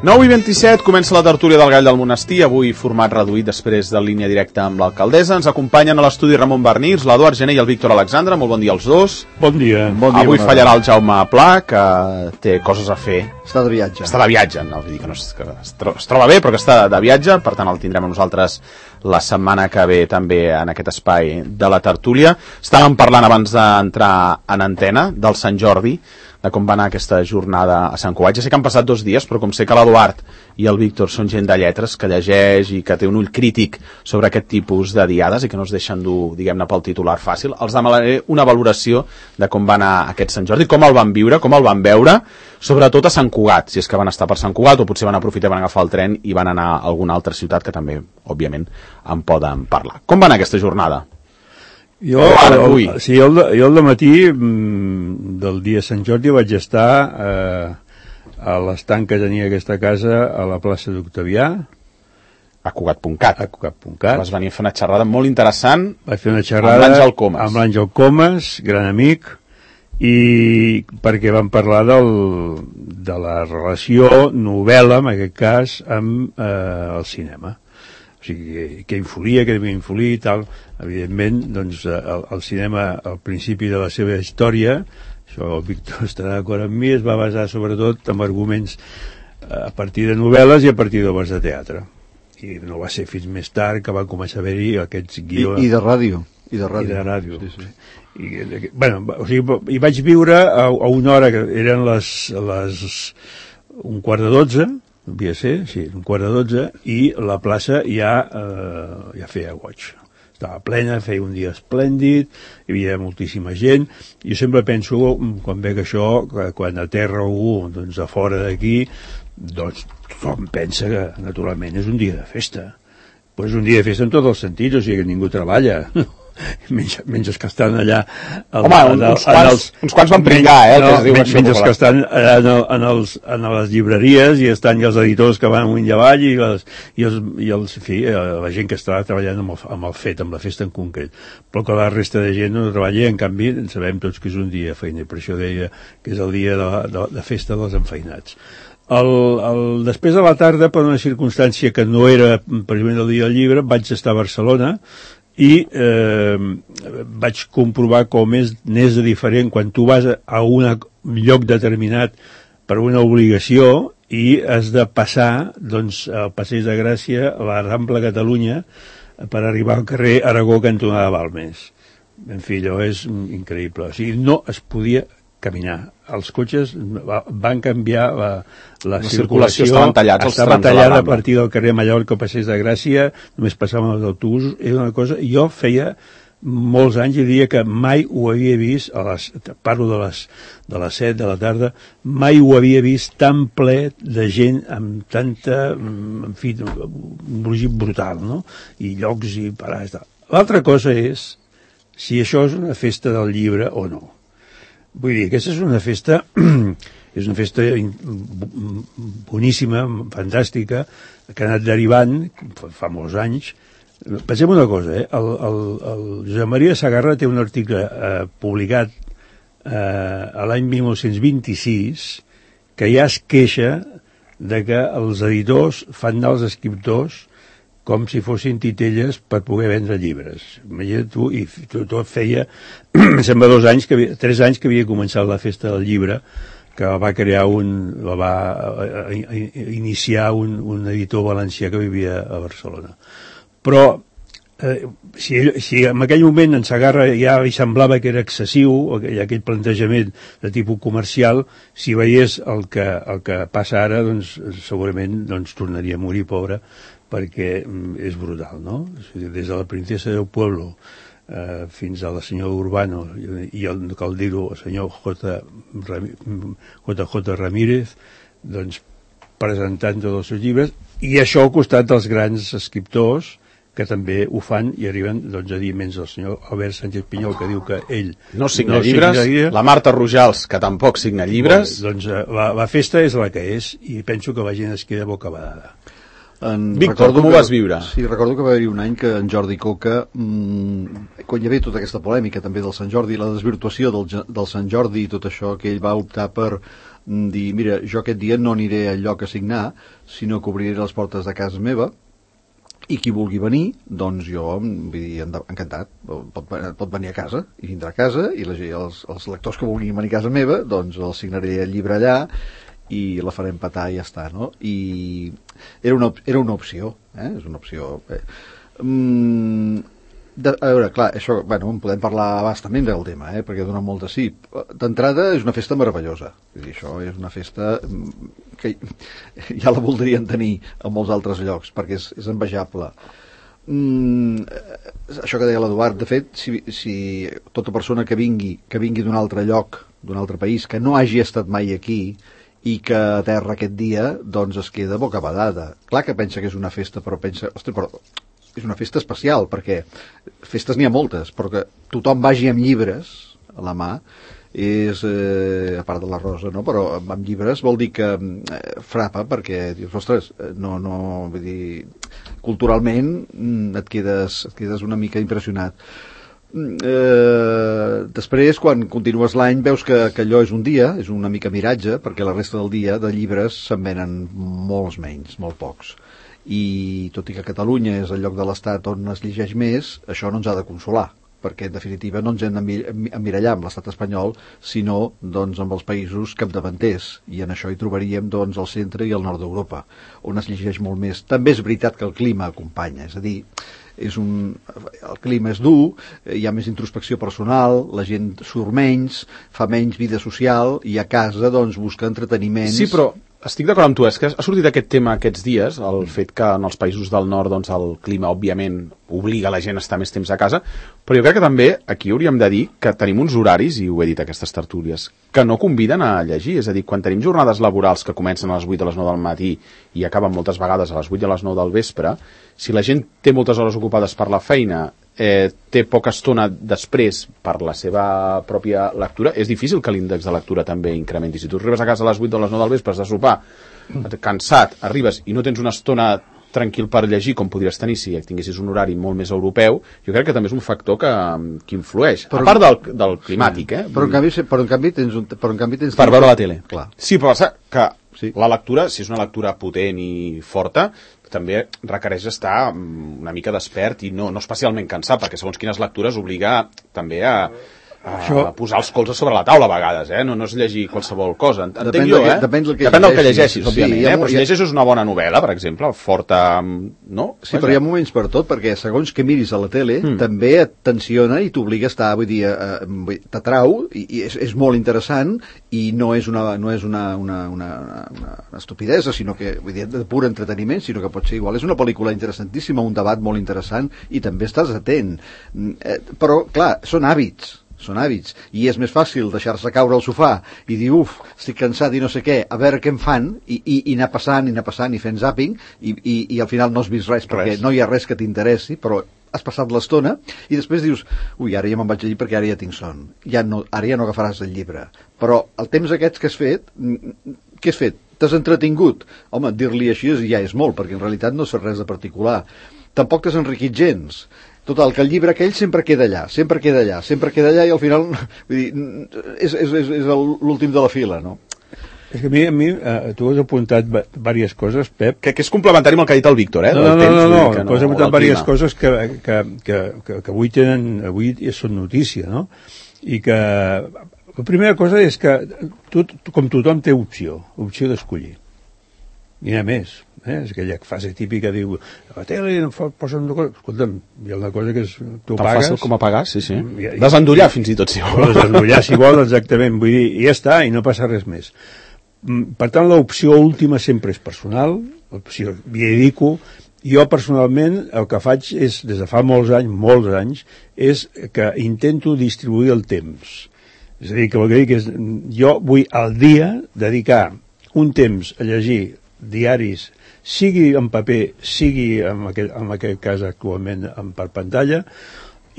9:27, comença la tertúlia del Gall del Monestir, avui format reduït després de línia directa amb l'alcaldessa. Ens acompanyen a l'estudi Ramon Barnirs, l'Eduard Gené i el Víctor Alexandre. Molt bon dia als dos. Bon dia. Avui fallarà el Jaume Pla, que té coses a fer. Està de viatge. Està de viatge, no, vull dir que no es troba bé, però que està de viatge, per tant el tindrem a nosaltres la setmana que ve també en aquest espai de la tertúlia. Estàvem parlant abans d'entrar en antena del Sant Jordi, de com va anar aquesta jornada a Sant Cugat. Ja sé que han passat 2 dies, però com sé que l'Eduard i el Víctor són gent de lletres, que llegeix i que té un ull crític sobre aquest tipus de diades i que no es deixen dur, diguem-ne, pel titular fàcil, els demanaré una valoració de com va anar aquest Sant Jordi, com el van viure, com el van veure, sobretot a Sant Cugat, si és que van estar per Sant Cugat o potser van aprofitar i van agafar el tren i van anar a alguna altra ciutat que també, òbviament, en poden parlar. Com va anar aquesta jornada? Jo al dematí del dia Sant Jordi vaig estar a l'estanc que tenia aquesta casa a la plaça d'Octavià, a Cugat.cat. Vas venir a fer una xerrada molt interessant. Vaig fer una xerrada amb l'Àngel Comas, gran amic, i perquè vam parlar de la relació novel·la, en aquest cas, amb el cinema. O sigui, què influïa, què devia influir i tal. Evidentment, doncs, el cinema, al principi de la seva història, això el Víctor estarà d'acord amb mi, es va basar sobretot en arguments a partir de novel·les i a partir d'obres de teatre. I no va ser fins més tard que va començar a haver-hi aquests guions... I de ràdio. I de ràdio. Sí, sí. O sigui, hi vaig viure a una hora que eren les 11:45, devia ser, sí, 11:45, i la plaça ja feia goig. Estava plena, feia un dia esplèndid, hi havia moltíssima gent. Jo sempre penso, quan veig això, que quan aterra algú doncs, a fora d'aquí, doncs tothom pensa que, naturalment, és un dia de festa. Però és un dia de festa en tots els sentits, o sigui que ningú treballa. Menys els que estan allà... uns quants van pringar, menys els que estan a les llibreries i estan els editors que van amunt i avall i la gent que està treballant amb el fet, amb la festa en concret. Però que la resta de gent no treballa, en canvi sabem tots que és un dia de feina, per això deia que és el dia de festa dels enfeinats. Després de la tarda, per una circumstància que no era precisament el dia del llibre, vaig estar a Barcelona i vaig comprovar com n'és de diferent quan tu vas a un lloc determinat per una obligació i has de passar doncs, al Passeig de Gràcia, a la Rambla Catalunya, per arribar al carrer Aragó, cantonada Balmes. En fi, allò és increïble. O sigui, no es podia caminar. Els cotxes van canviar la circulació, estava tallada a partir del carrer Mallorca al Passeig de Gràcia, només passaven els autobusos, era una cosa... Jo feia molts anys i diria que mai ho havia vist, parlo de les 7 de la tarda, mai ho havia vist tan ple de gent amb tanta, en fi, un brugit brutal, no? I llocs i parades. L'altra cosa és si això és una festa del llibre o no. Vull dir, aquesta és una festa boníssima, fantàstica, que ha anat derivant fa molts anys. Pensem una cosa, el Josep Maria Sagarra té un article publicat a l'any 1926 que ja es queixa de que els editors fan anar els escriptors com si fossin titelles per poder vendre llibres. Imagina't tu, i tot feia, em sembla 3 anys que havia començat la festa del llibre, que va iniciar un editor valencià que vivia a Barcelona. Però si en aquell moment en Sagarra ja li semblava que era excessiu aquell plantejament de tipus comercial, si veiés el que passa ara, doncs segurament tornaria a morir pobre, perquè és brutal, no? Des de la princesa del pueblo fins a la senyora Urbano i cal dir-ho, el senyor J.J. Ramírez, doncs presentant tots els seus llibres, i això al costat dels grans escriptors que també ho fan i arriben doncs, a dir menys el senyor Albert Sánchez Pinyol, que diu que ell no signa llibres, la Marta Rojals, que tampoc signa llibres. Doncs la festa és la que és i penso que la gent es queda bocabadada. Víctor, com ho vas viure? Sí, recordo que va haver-hi un any que en Jordi Coca, quan hi havia tota aquesta polèmica també del Sant Jordi, la desvirtuació del Sant Jordi i tot això, que ell va optar per dir, mira, jo aquest dia no aniré al lloc a signar, sinó que obriré les portes de casa meva, i qui vulgui venir, doncs jo, vull dir, encantat, pot venir a casa, i vindrà a casa, i els lectors que vulguin venir a casa meva, doncs els signaré el llibre allà, i la farem petar i ja està, no? I era una opció, és una opció. A veure, clar, això, bueno, en podem parlar bastament del tema, perquè dona molt de sí. D'entrada és una festa meravellosa, és dir, això és una festa que ja la voldrien tenir a molts altres llocs, perquè és envejable. Això que deia l'Eduard, de fet, si tota persona que vingui d'un altre lloc, d'un altre país, que no hagi estat mai aquí i que aterra aquest dia, doncs es queda bocabadada. Clar que pensa que és una festa, però pensa, ostres, però és una festa especial, perquè festes n'hi ha moltes, però que tothom vagi amb llibres a la mà és, a part de la Rosa, no? Però amb llibres vol dir que frapa, perquè dius, ostres, vull dir, culturalment et quedes una mica impressionat. Després, quan continues l'any, veus que allò és un dia, és una mica miratge, perquè la resta del dia de llibres se'n venen molts menys, molt pocs. I tot i que Catalunya és el lloc de l'Estat on es llegeix més, això no ens ha de consolar, perquè en definitiva no ens hem d'emmirallar amb l'estat espanyol, sinó doncs, amb els països capdavanters, i en això hi trobaríem doncs, el centre i el nord d'Europa, on es llegeix molt més. També és veritat que el clima acompanya, és a dir, el clima és dur, hi ha més introspecció personal, la gent surt menys, fa menys vida social, i a casa doncs, busca entreteniments. Sí, però estic d'acord amb tu, és que ha sortit aquest tema aquests dies, el fet que en els països del nord doncs, el clima, òbviament, obliga la gent a estar més temps a casa, però jo crec que també aquí hauríem de dir que tenim uns horaris, i ho he dit a aquestes tertúlies, que no conviden a llegir, és a dir, quan tenim jornades laborals que comencen a les 8 a les 9 del matí i acaben moltes vegades a les 8 a les 9 del vespre, si la gent té moltes hores ocupades per la feina, té poca estona després per la seva pròpia lectura, és difícil que l'índex de lectura també incrementi. Si tu arribes a casa a les 8 o a les 9 del vespre, has de sopar, cansat, arribes i no tens una estona tranquil per llegir com podries tenir si tinguessis un horari molt més europeu, jo crec que també és un factor que influeix, a part del climàtic, Però en canvi tens... Per veure la tele. Clar. Sí, però que la lectura, si és una lectura potent i forta, també requereix estar una mica despert i no especialment cansat, perquè segons quines lectures obliga també a posar els colzes sobre la taula a vegades, no és llegir qualsevol cosa. Entenc jo, Depèn del que llegeixis, òbviament, però si llegeixes una bona novel·la, per exemple, forta, no? Sí, però hi ha moments per tot, perquè segons que miris a la tele, també et tensiona i t'obliga a estar, vull dir, t'atrau, i és molt interessant, i no és una estupidesa, sinó que, vull dir, de pur entreteniment, sinó que pot ser igual. És una pel·lícula interessantíssima, un debat molt interessant, i també estàs atent. Però, clar, són hàbits, i és més fàcil deixar-se caure al sofà i dir, estic cansat i no sé què, a veure què em fan, i anar passant i fent zapping, i al final no has vist res, perquè no hi ha res que t'interessi, però has passat l'estona, i després dius, ara ja me'n vaig a llegir perquè ara ja tinc son, ara ja no agafaràs el llibre. Però el temps aquests que has fet, què has fet? T'has entretingut? Home, dir-li així ja és molt, perquè en realitat no has fet res de particular. Tampoc t'has enriquit gens. Total, que el llibre aquell sempre queda allà, i al final, vull dir, és l'últim de la fila, no? És que a mi tu has apuntat diverses coses, Pep. Que és complementari amb el que ha dit el Víctor, No, tu has apuntat diverses coses que avui són notícia, no? I que la primera cosa és que com tothom té opció d'escollir. I a més, és aquella fase típica, diu, a la tele no posen una cosa... Escolta'm, hi ha una cosa que és... Tu tan pagues... fàcil com a pagar, sí. Desendollar fins i tot, si vol. Desendollar, si vol, exactament. Vull dir, i ja està, i no passa res més. Per tant, l'opció última sempre és personal, l'opció m'hi dedico. Jo, personalment, el que faig és, des de fa molts anys, és que intento distribuir el temps. És a dir, que vol dir que jo vull al dia dedicar un temps a llegir diaris, sigui en paper, sigui en aquest cas actualment per pantalla,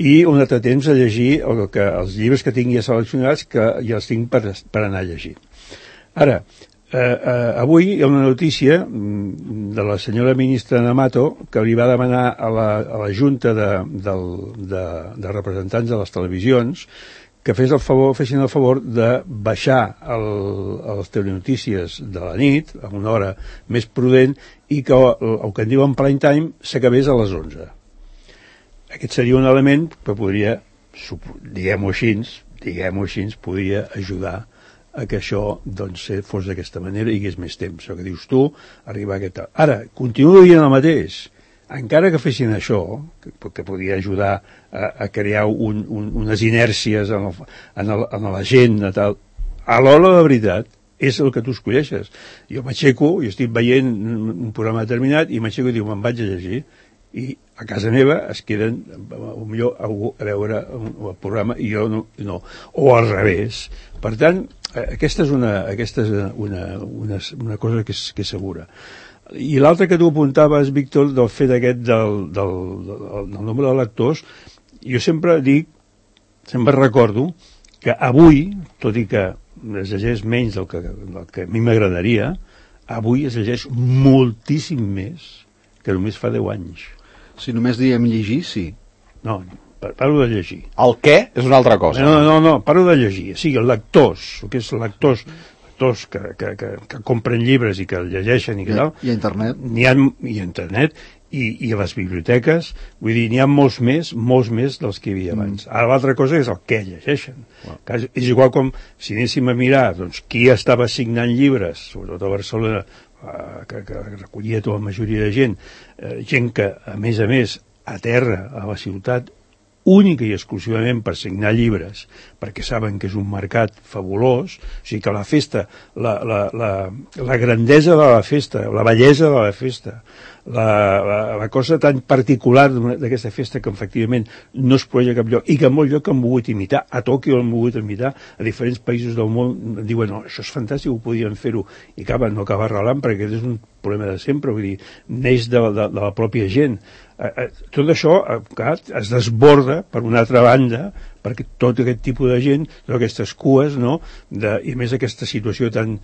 i un altre temps a llegir els llibres que tingui seleccionats, que ja els tinc per anar a llegir. Ara, avui hi ha una notícia de la senyora ministra Namato que li va demanar a la Junta de representants de les televisions que fessin el favor de baixar les telenotícies de la nit a una hora més prudent i que el que en diuen prime time s'acabés a les 11. Aquest seria un element que podria, diguem-ho així, podria ajudar a que això doncs, fos d'aquesta manera i hi hagués més temps. El que dius tu, arribar a aquest... Ara, continuo dient el mateix. Encara que fessin això, que podria ajudar a crear unes inèrcies en la gent, a l'hora de veritat, és el que tu escolleixes. Jo m'aixeco i estic veient un programa determinat i m'aixeco i diu, me'n vaig a llegir. I a casa meva es queden millor a veure el programa i jo no. O al revés. Per tant, aquesta és una cosa que és segura. I l'altre que tu apuntaves, Víctor, del fet aquest del nombre de lectors, jo sempre recordo que avui, tot i que es llegeix menys del que a mi m'agradaria, avui es llegeix moltíssim més que només fa 10 anys. Si només diem llegir, sí. No, parlo de llegir. El què és una altra cosa. No, parlo de llegir. O sigui, lectors, el que és lectors que compren llibres i que el llegeixen i que tal. I a internet. I a internet i a les biblioteques, vull dir, n'hi ha molts més dels que hi havia abans. Ara l'altra cosa és el què llegeixen. És igual com si anéssim a mirar doncs, qui estava signant llibres, sobretot a Barcelona, que recollia tota la majoria de gent, gent que, a més, a terra, a la ciutat, única i exclusivament per signar llibres, perquè saben que és un mercat fabulós, o sigui que la festa, la grandesa de la festa, la bellesa de la festa, la cosa tan particular d'aquesta festa que efectivament no es produeix a cap lloc i que en molt lloc han volgut imitar, a Tòquio han volgut imitar, a diferents països del món diuen, no, això és fantàstic, ho podien fer-ho i no acaba arrelant perquè aquest és un problema de sempre, vull dir, neix de la pròpia gent. Tot això es desborda per una altra banda perquè tot aquest tipus de gent, totes aquestes cues, no? I més aquesta situació tan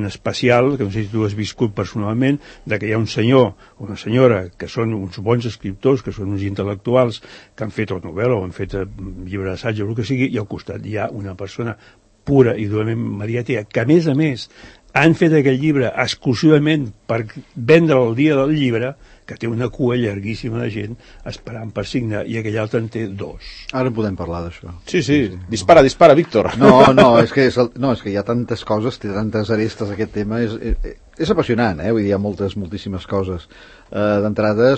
especial, que no sé si tu has viscut personalment, de que hi ha un senyor o una senyora que són uns bons escriptors, que són uns intel·lectuals, que han fet novel·la o han fet llibre d'assaig o el que sigui, i al costat hi ha una persona pura i durament mediàtica, que a més han fet aquest llibre exclusivament per vendre el dia del llibre, que té una cua llarguíssima de gent esperant per signar, i aquell altre en té 2. Ara podem parlar d'això. Sí. Dispara, Víctor. No, és que hi ha tantes coses, té tantes arestes aquest tema, és apassionant, vull dir, hi ha moltíssimes coses. D'entrada,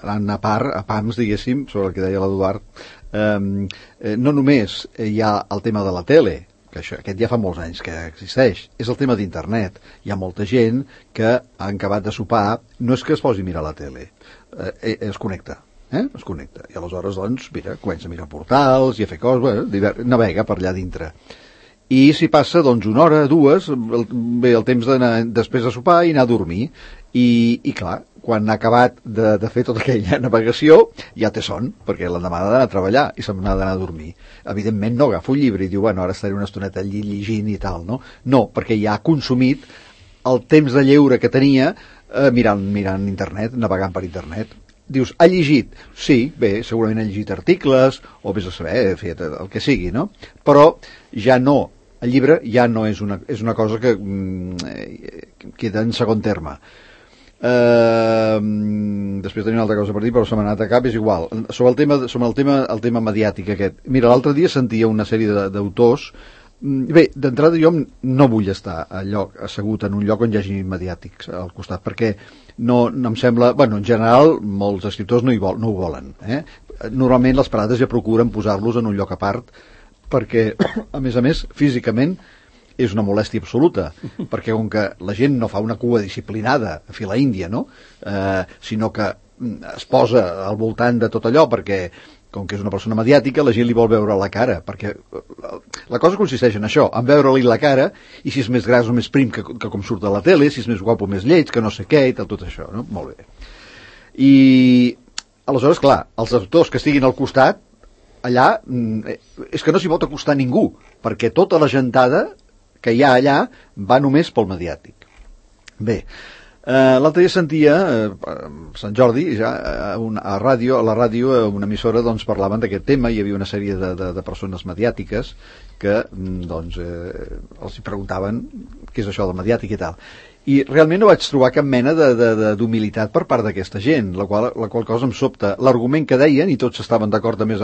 anant a pams, diguéssim, sobre el que deia l'Eduard, no només hi ha el tema de la tele, que aquest ja fa molts anys que existeix, és el tema d'internet. Hi ha molta gent que ha acabat de sopar, no és que es posi a mirar la tele, es connecta. Es connecta, i aleshores doncs, mira, comença a mirar portals i a fer coses, navega per allà dintre. I si passa doncs una hora, 2, ve el temps d'anar després de sopar i anar a dormir, i clar, quan ha acabat de fer tota aquella navegació ja té son, perquè l'endemà ha d'anar a treballar i se'n ha d'anar a dormir. Evidentment no agafa un llibre i diu, bueno, ara estaré una estoneta allí llegint i tal, no? No, perquè ja ha consumit el temps de lleure que tenia mirant internet, navegant per internet. Dius, ha llegit? Sí, bé, segurament ha llegit articles, o vés a saber, fet el que sigui, no? Però ja no, el llibre ja no és una cosa que queda en segon terme. Després tenia una altra cosa per dir, però se m'ha anat a cap, és igual. Sobre el tema mediàtic aquest. Mira, l'altre dia sentia una sèrie d'autors. Bé, d'entrada jo no vull estar assegut en un lloc on hi hagi mediàtics al costat, perquè no em sembla... Bueno, en general, molts escriptors no ho volen. Normalment les parades ja procuren posar-los en un lloc a part, perquè, a més, físicament és una molèstia absoluta, perquè com que la gent no fa una cua disciplinada a fila índia, no? Sinó que es posa al voltant de tot allò, perquè com que és una persona mediàtica, la gent li vol veure la cara, perquè la cosa consisteix en això, en veure-li la cara, i si és més gras o més prim que com surt a la tele, si és més guapo o més lleig, que no sé què, i tot això, no? Molt bé. I aleshores, clar, els autors que estiguin al costat, allà, és que no s'hi pot acostar ningú, perquè tota la gentada que hi ha allà va només pel mediàtic. Bé, l'altre dia sentia Sant Jordi ja a la ràdio, una emissora, doncs parlaven d'aquest tema. Hi havia una sèrie de persones mediàtiques que doncs els preguntaven què és això del mediàtic i tal, i realment no vaig trobar cap mena d'humilitat per part d'aquesta gent, la qual cosa em sobta. L'argument que deien, i tots estaven d'acord a més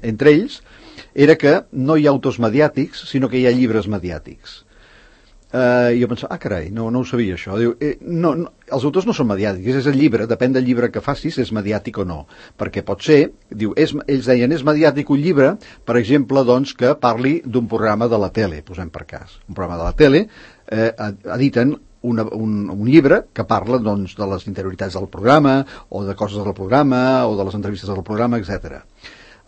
entre ells, era que no hi ha autors mediàtics, sinó que hi ha llibres mediàtics. Jo pensava, carai, no ho sabia això. Diu, no, els autors no són mediàtics, és el llibre, depèn del llibre que facis, és mediàtic o no, perquè pot ser, diu, ells deien, és mediàtic un llibre, per exemple, doncs, que parli d'un programa de la tele, posem per cas, un programa de la tele, editen un llibre que parla, doncs, de les interioritats del programa, o de coses del programa, o de les entrevistes del programa, etc.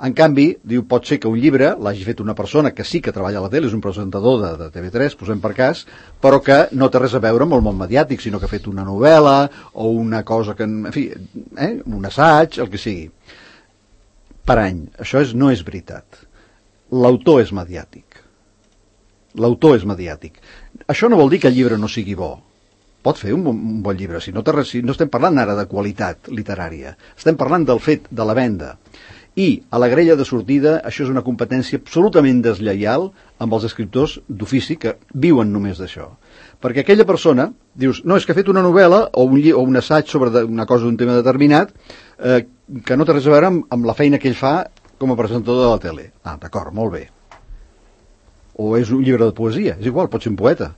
En canvi, diu, pot ser que un llibre l'hagi fet una persona que sí que treballa a la tele, és un presentador de TV3, posem per cas, però que no té res a veure amb el món mediàtic, sinó que ha fet una novel·la o una cosa que, en fi, un assaig, el que sigui. Per any. Això no és veritat. L'autor és mediàtic. L'autor és mediàtic. Això no vol dir que el llibre no sigui bo. Pot fer un bon llibre. Si no estem parlant ara de qualitat literària. Estem parlant del fet de la venda. I a la grella de sortida això és una competència absolutament deslleial amb els escriptors d'ofici que viuen només d'això. Perquè aquella persona, dius, no, és que ha fet una novel·la o un assaig sobre una cosa d'un tema determinat que no té res a veure amb la feina que ell fa com a presentador de la tele. Ah, d'acord, molt bé. O és un llibre de poesia, és igual, pot ser un poeta.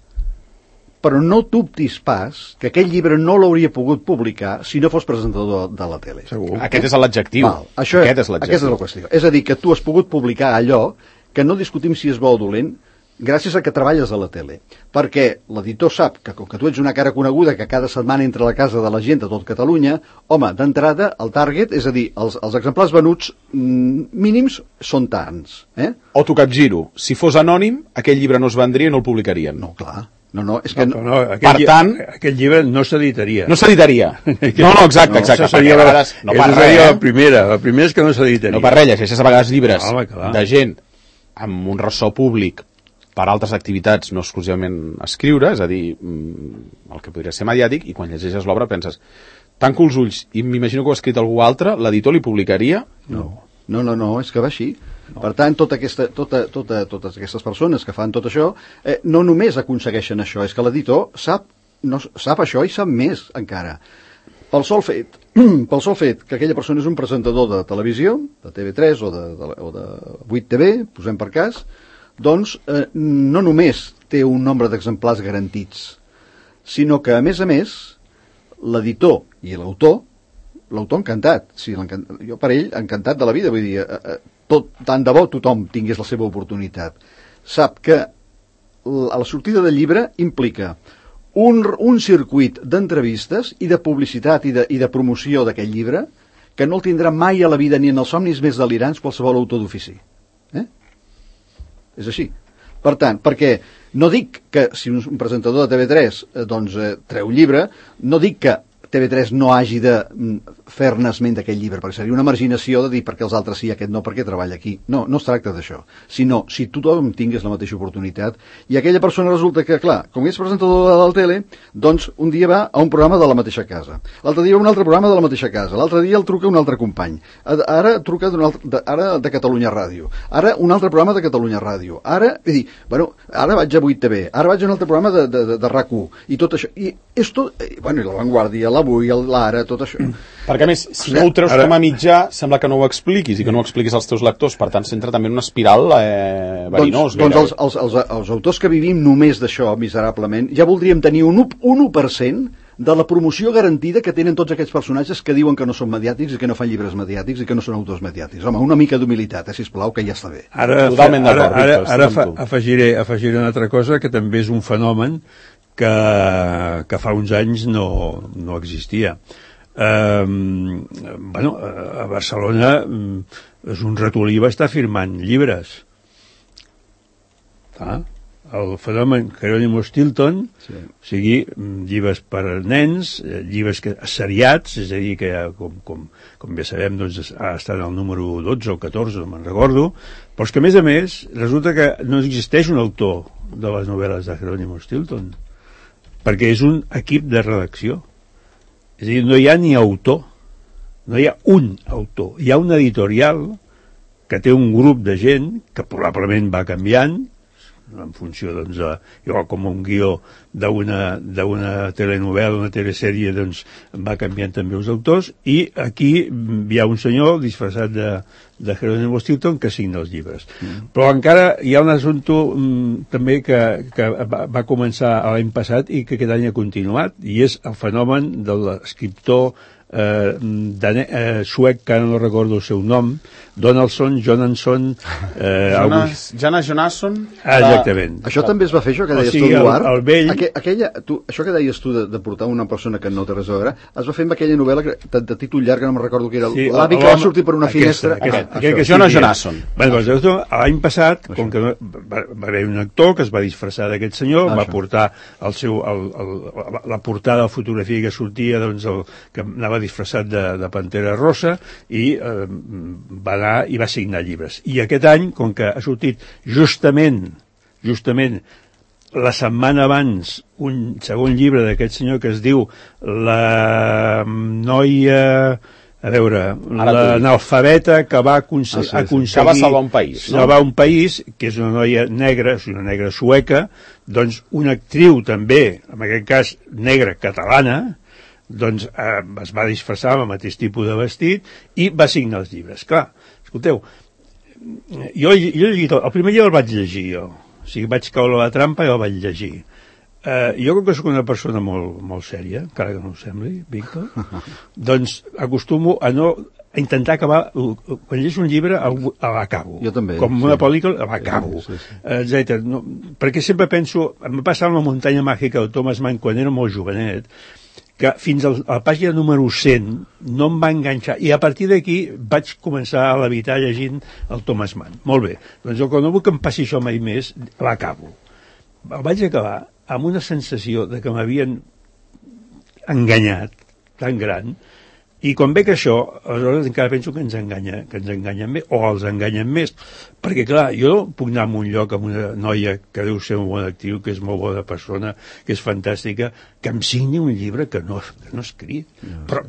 Però no dubtis pas que aquell llibre no l'hauria pogut publicar si no fos presentador de la tele. Segur. Aquest és l'adjectiu. Aquesta és la qüestió. És a dir, que tu has pogut publicar allò que no discutim si és bo o dolent gràcies a que treballes a la tele. Perquè l'editor sap que, com que tu ets una cara coneguda que cada setmana entra a la casa de la gent de tot Catalunya, home, d'entrada, el target, és a dir, els exemplars venuts mínims són tants. O t'ho capgiro. Si fos anònim, aquell llibre no es vendria i no el publicarien. No, clar. No, és que... No, per tant... Aquest llibre no s'editaria. No s'editaria. No, exacte. Seria la primera és que no s'editaria. No per res, llegeixes a vegades llibres de gent amb un ressò públic per altres activitats, no exclusivament escriure, és a dir, el que podria ser mediàtic, i quan llegeixes l'obra penses, tanco els ulls i m'imagino que ho ha escrit algú altre, l'editor li publicaria? No, és que va així. No. Per tant, totes aquestes persones que fan tot això no només aconsegueixen això, és que l'editor sap això i sap més encara. Pel sol fet que aquella persona és un presentador de televisió, de TV3 o de 8TV, posem per cas, doncs no només té un nombre d'exemplars garantits, sinó que, a més, l'editor i l'autor encantat. Jo per ell encantat de la vida, vull dir, tant de bo tothom tingués la seva oportunitat. Sap que la sortida del llibre implica un circuit d'entrevistes i de publicitat i de promoció d'aquest llibre que no el tindrà mai a la vida ni en els somnis més delirants qualsevol autor d'ofici. És així. Per tant, perquè no dic que si un presentador de TV3 treu un llibre, no dic que TV3 no hagi de fer-ne esment d'aquest llibre, perquè seria una marginació de dir perquè els altres sí, aquest no, perquè treballa aquí. No es tracta d'això, sinó si tothom tingués la mateixa oportunitat, i aquella persona resulta que, clar, com és presentador de la tele, doncs un dia va a un programa de la mateixa casa, l'altre dia a un altre programa de la mateixa casa, l'altre dia el truca un altre company, ara truca ara de Catalunya Ràdio, ara un altre programa de Catalunya Ràdio, ara vaig a 8TV, ara vaig a un altre programa de RAC1, i tot això, i és tot, i La Vanguardia, l'Avui, l'Ara, tot això. Perquè, a més, si no ho treus com a mitjà, sembla que no ho expliquis i que no ho expliquis als teus lectors, per tant, s'entra també en una espiral verinós. Doncs els autors que vivim només d'això, miserablement, ja voldríem tenir un 1% de la promoció garantida que tenen tots aquests personatges que diuen que no són mediàtics i que no fan llibres mediàtics i que no són autors mediàtics. Home, una mica d'humilitat, sisplau, que ja està bé. Totalment d'acord. Ara afegiré una altra cosa que també és un fenomen que fa uns anys no existia. A Barcelona és un ratolí va estar firmant llibres. El fenomen Jerónimo Stilton, o sigui, llibres per a nens, llibres seriats, és a dir, que com ja sabem, doncs, ha estat el número 12 o 14, no me'n recordo, però és que, a més, resulta que no existeix un autor de les novel·les de Jerónimo Stilton, perquè és un equip de redacció. És a dir, no hi ha ni autor, no hi ha un autor, hi ha un editorial que té un grup de gent que probablement va canviant en funció, doncs, igual com un guió d'una telenovel·la, una telesèrie, doncs va canviant també els autors, i aquí hi ha un senyor disfressat de Jerónimo Stilton que signa els llibres. Però encara hi ha un assumpte també que va començar l'any passat i que aquest any ha continuat, i és el fenomen de l'escriptor suec, que ara no recordo el seu nom, Jonasson, exactament. Això també es va fer, això que deies tu, Eduard? Això que deies tu de portar una persona que no té res a veure, es va fer amb aquella novel·la de títol llarg, que no me'n recordo que era, l'avi que va sortir per una finestra. Jonasson. L'any passat, com que va haver un actor que es va disfressar d'aquest senyor, va portar la portada de fotografia que sortia, que anava disfressat de Pantera Rosa, i va anar i va signar llibres. I aquest any, com que ha sortit justament la setmana abans un segon llibre d'aquest senyor que es diu La noia... A veure, l'analfabeta que va aconseguir... Que va salvar un país. Salvar un país, que és una noia negra, és una negra sueca, doncs una actriu també, en aquest cas negra catalana, doncs es va disfressar amb el mateix tipus de vestit i va signar els llibres. Clar, escolteu, jo he llegit, el primer llibre el vaig llegir jo, o sigui, vaig caure a la trampa i el vaig llegir. Jo, com que soc una persona molt sèria, encara que no ho sembli, Víctor, doncs acostumo a intentar acabar, quan llegeixo un llibre l'acabo. Jo també. Com una pel·lícula, l'acabo, etc. No, perquè sempre penso, em va passar amb La muntanya màgica de Thomas Mann quan era molt jovenet, que fins a la pàgina número 100 no em va enganxar, i a partir d'aquí vaig començar a levitar llegint el Thomas Mann. Molt bé, doncs jo, quan no vull que em passi això mai més, l'acabo. El vaig acabar amb una sensació de que m'havien enganyat tan gran, i quan veig això, aleshores encara penso que ens enganyen més, o els enganyen més, perquè clar, jo puc anar a un lloc amb una noia que deu ser un bon actriu, que és molt bona persona, que és fantàstica, que em signi un llibre que no ha escrit. Però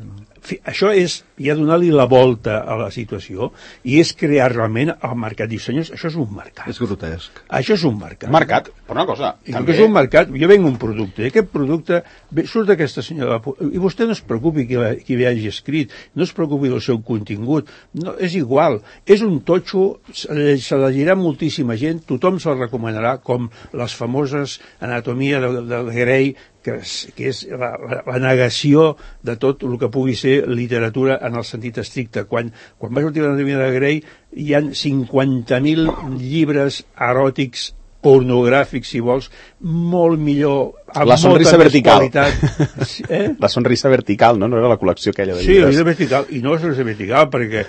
això és ja donar-li la volta a la situació, i és crear realment el mercat. Dius, senyors, això és un mercat. És grotesc. Això és un mercat. Mercat, però una cosa... També és un mercat, jo venc un producte, i aquest producte surt d'aquesta senyora, i vostè no es preocupi qui li hagi escrit, no es preocupi del seu contingut, no, és igual, és un totxo, se llegirà moltíssima gent, tothom se'l recomanarà, com les famoses Anatomia de Grey, que és la negació de tot el que pugui ser literatura en el sentit estricte. Quan va sortir l'Anatomia de Grey hi ha 50.000 llibres eròtics, pornogràfics, si vols, molt millor, amb la sonrisa molta vertical. Més qualitat. La sonrisa vertical, no? No era la col·lecció aquella de llibres. Sí, la sonrisa vertical, i no la sonrisa vertical, perquè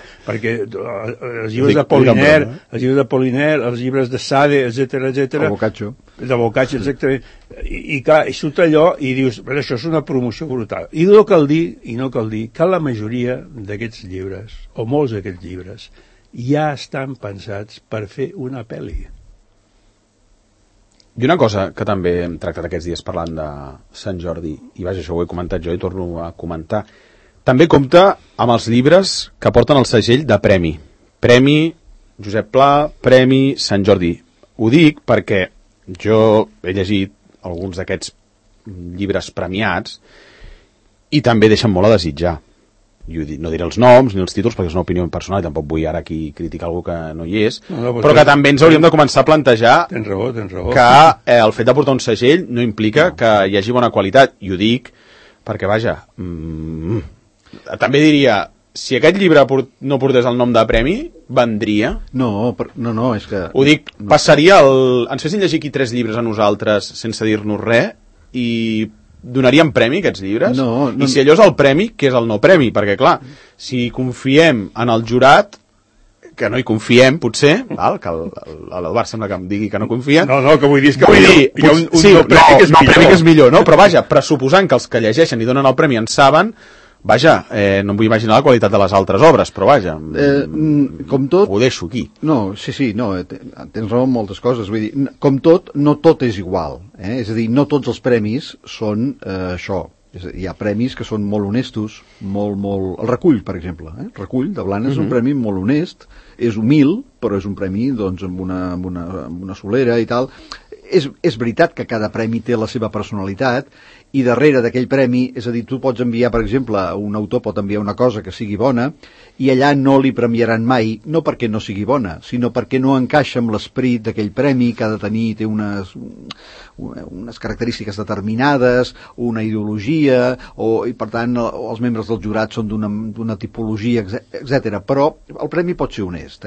els llibres de Poliner, els llibres de Sade, etc. El Boccaccio. De Boccaccio, exactament. I clar, i surt allò i dius, però això és una promoció brutal. I no cal dir que la majoria d'aquests llibres, o molts d'aquests llibres, ja estan pensats per fer una pel·li. I una cosa que també hem tractat aquests dies parlant de Sant Jordi, i vaja, això ho he comentat jo i torno a comentar, també compta amb els llibres que porten el segell de premi. Premi Josep Pla, Premi Sant Jordi. Ho dic perquè jo he llegit alguns d'aquests llibres premiats i també deixen molt a desitjar. No diré els noms ni els títols perquè és una opinió personal i tampoc vull ara aquí criticar algú que no hi és, però que també ens hauríem de començar a plantejar tens raó. Que el fet de portar un segell no implica que hi hagi bona qualitat, i ho dic perquè vaja, també diria, si aquest llibre no portés el nom de premi, vendria? No, és que... Ho dic, passaria ens fessin llegir aquí 3 llibres a nosaltres sense dir-nos res i donaríem premi a aquests llibres? No. I si allò és el premi, què és el no premi? Perquè clar, si confiem en el jurat, que no hi confiem, potser, val? Que l'Eduard sembla que em digui que no confia. No, que vull dir que hi ha un no premi que és millor, no? Però vaja, pressuposant que els que llegeixen i donen el premi en saben, Vaja, no em vull imaginar la qualitat de les altres obres, però vaja, com tot... ho deixo aquí. No, sí, no, tens raó en moltes coses. Vull dir, com tot, no tot és igual. És a dir, no tots els premis són això. Hi ha premis que són molt honestos, molt... El Recull, per exemple. El Recull de Blanes és un premi molt honest, és humil, però és un premi doncs, amb una solera i tal. És veritat que cada premi té la seva personalitat, i darrere d'aquell premi, és a dir, tu pots enviar, per exemple, un autor pot enviar una cosa que sigui bona, i allà no li premiaran mai, no perquè no sigui bona, sinó perquè no encaixa amb l'esperit d'aquell premi, que ha de tenir, té unes característiques determinades, una ideologia, i per tant els membres del jurat són d'una tipologia, etc. Però el premi pot ser honest,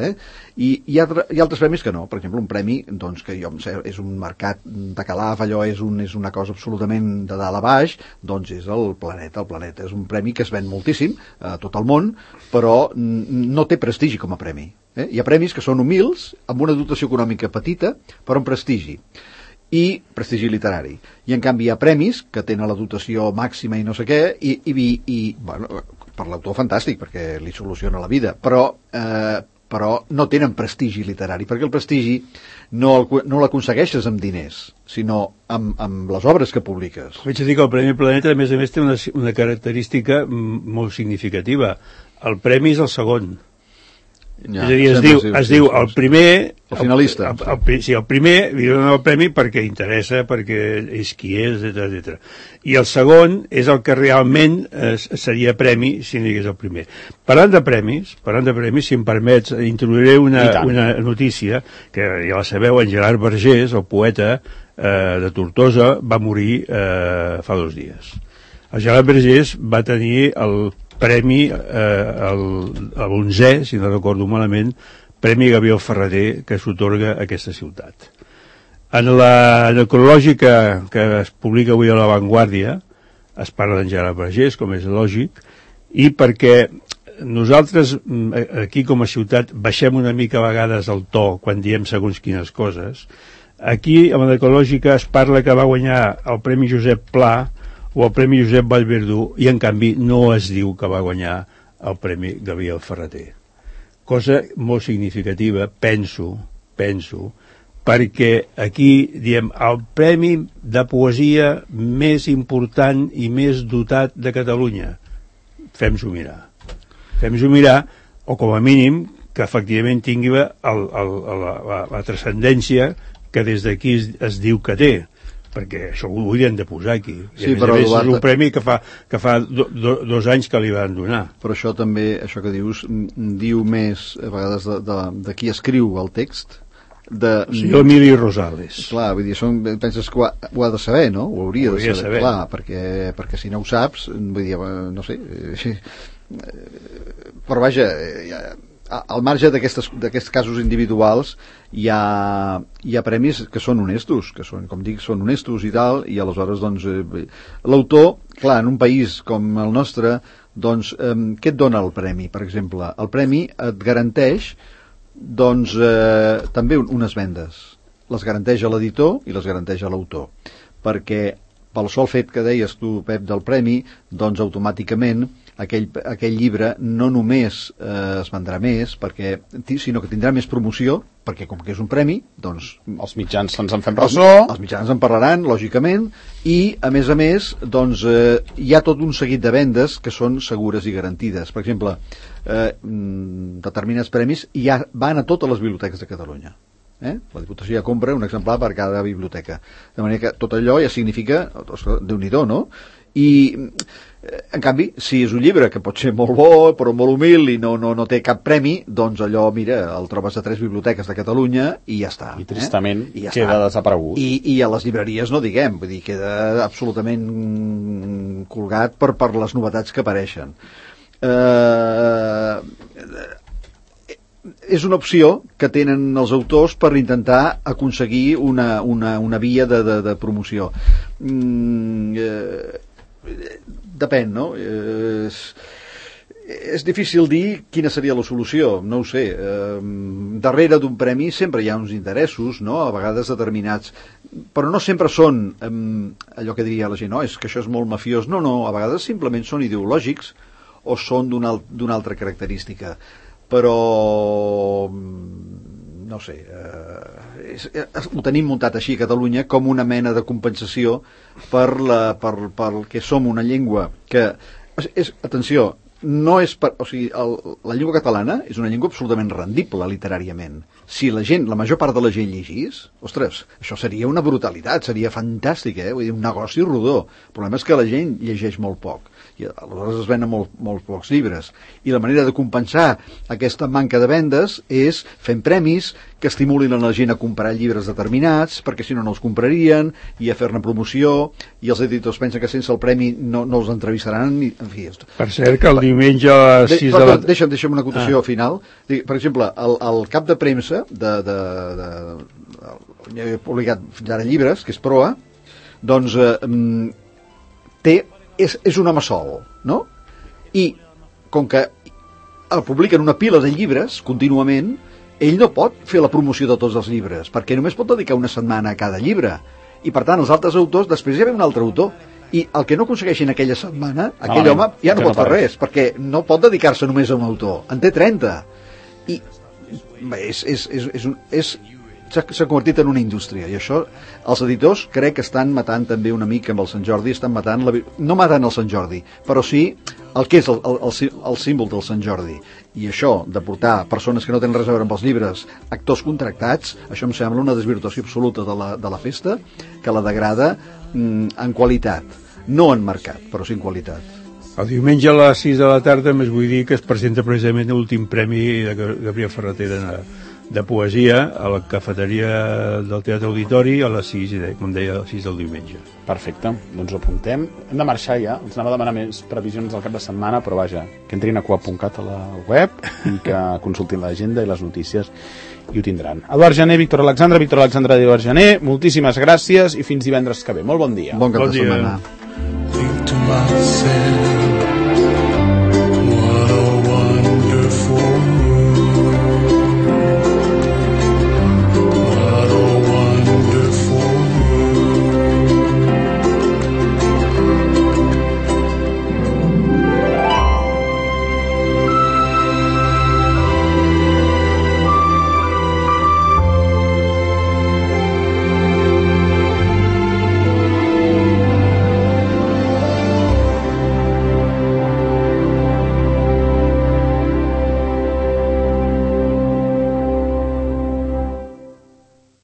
I hi ha altres premis que no. Per exemple, un premi doncs, que jo em sé, és un mercat de calaf, allò és una cosa absolutament de dalt a baix, doncs és el Planeta. El Planeta és un premi que es ven moltíssim a tot el món, però no té prestigi com a premi. Hi ha premis que són humils, amb una dotació econòmica petita, però amb prestigi. I prestigi literari. I en canvi hi ha premis que tenen la dotació màxima i no sé què, i bueno, per l'autor fantàstic, perquè li soluciona la vida, però no tenen prestigi literari, perquè el prestigi no l'aconsegueixes amb diners, sinó amb les obres que publiques. Vaig a dir que el Premi Planeta, a més, té una característica molt significativa. El premi és el segon. Ja, és a dir, es diu el primer... El finalista. Sí, el primer li donen el premi perquè interessa, perquè és qui és, etc. I el segon és el que realment seria premi si no hi hagués el primer. Parlant de premis, si em permets, introduiré una notícia que ja la sabeu, en Gerard Vergés, el poeta de Tortosa, va morir fa 2 dies. El Gerard Vergés va tenir el premi, l'11è, si no recordo malament, Premi Gabriel Ferrater, que s'otorga a aquesta ciutat. En la necrològica que es publica avui a La Vanguardia es parla d'en Gerard Vergés, com és lògic, i perquè nosaltres aquí com a ciutat baixem una mica a vegades el to quan diem segons quines coses. Aquí a la necrològica es parla que va guanyar el Premi Josep Pla o el Premi Josep Vallverdú, i en canvi no es diu que va guanyar el Premi Gabriel Ferrater. Cosa molt significativa, penso, perquè aquí diem el premi de poesia més important i més dotat de Catalunya. Fem-s'ho mirar, o com a mínim que efectivament tingui la transcendència que des d'aquí es diu que té, perquè això ho haurien de posar aquí. I a més, és un premi que fa 2 anys que li van donar. Però això també, això que dius, diu més a vegades de qui escriu el text. El senyor Emili Rosales. Clar, vull dir, penses que ho ha de saber, no? Ho hauria de saber. Clar, perquè si no ho saps, vull dir, no sé... Però vaja... Al marge d'aquests casos individuals hi ha premis que són honestos, que són, com dic, són honestos i tal, i aleshores doncs l'autor, clar, en un país com el nostre, doncs què et dona el premi? Per exemple, el premi et garanteix doncs també unes vendes, les garanteix a l'editor i les garanteix a l'autor, perquè pel sol fet que deies tu, Pep, del premi, doncs automàticament aquell llibre no només es vendrà més, sinó que tindrà més promoció, perquè com que és un premi, doncs... Els mitjans se'ns en fem ressò. Els mitjans en parlaran, lògicament, i, a més, doncs, hi ha tot un seguit de vendes que són segures i garantides. Per exemple, determinats premis ja van a totes les biblioteques de Catalunya. La Diputació ja compra un exemplar per cada biblioteca. De manera que tot allò ja significa... Déu-n'hi-do, no? I... En canvi, si és un llibre que pot ser molt bo, però molt humil i no té cap premi, doncs allò, mira, el trobes a 3 biblioteques de Catalunya i ja està. I tristament queda desaparegut. I a les llibreries no diguem, vull dir, queda absolutament colgat per les novetats que apareixen. És una opció que tenen els autors per intentar aconseguir una via de promoció. Depèn, no? És difícil dir quina seria la solució, no ho sé. Darrere d'un premi sempre hi ha uns interessos, no? A vegades determinats. però no sempre són allò que diria la gent, no, és que això és molt mafiós. No, a vegades simplement són ideològics o són d'una altra característica. Però no sé, ho tenim muntat així a Catalunya com una mena de compensació per que som una llengua que atenció, no és o sigui, la llengua catalana és una llengua absolutament rendible literàriament. Si la major part de la gent llegís, ostres, això seria una brutalitat, seria fantàstic, vull dir, un negoci rodó. El problema és que la gent llegeix molt poc i aleshores es venen molt pocs llibres, i la manera de compensar aquesta manca de vendes és fent premis que estimulin a la gent a comprar llibres determinats, perquè si no els comprarien, i a fer-ne promoció, i els editors pensen que sense el premi no els entrevistaran, en fi. Per cert, que el diumenge a les 6 de la... Deixa'm una acotació final. Per exemple, el cap de premsa he publicat fins ara llibres, que és Proa, doncs és un home sol, no? I com que el publiquen una pila de llibres contínuament, ell no pot fer la promoció de tots els llibres, perquè només pot dedicar una setmana a cada llibre, i per tant els altres autors, després hi ha un altre autor, i el que no aconsegueixin aquella setmana, aquell home ja no pot fer res, perquè no pot dedicar-se només a un autor, en té 30, i s'ha convertit en una indústria, i això els editors crec que estan matant també una mica amb el Sant Jordi, estan matant no matant el Sant Jordi, però sí el que és el símbol del Sant Jordi, i això de portar persones que no tenen res a veure amb els llibres, actors contractats, això em sembla una desvirtuació absoluta de la festa, que la degrada en qualitat, no en mercat, però sí en qualitat. El diumenge a les 6 de la tarda més vull dir que es presenta precisament l'últim premi de Gabriel Ferreter de poesia a la cafeteria del Teatre Auditori a les 6, com deia, a les 6 del diumenge. Perfecte, doncs ho apuntem. Hem de marxar ja, ens anava a demanar més previsions del cap de setmana, però vaja, que entrin a coap.cat a la web i que consultin l'agenda i les notícies i ho tindran. Eduard Jané, Víctor Alexandre i Eduard Jané, moltíssimes gràcies i fins divendres que ve. Molt bon dia. Bon cap de setmana.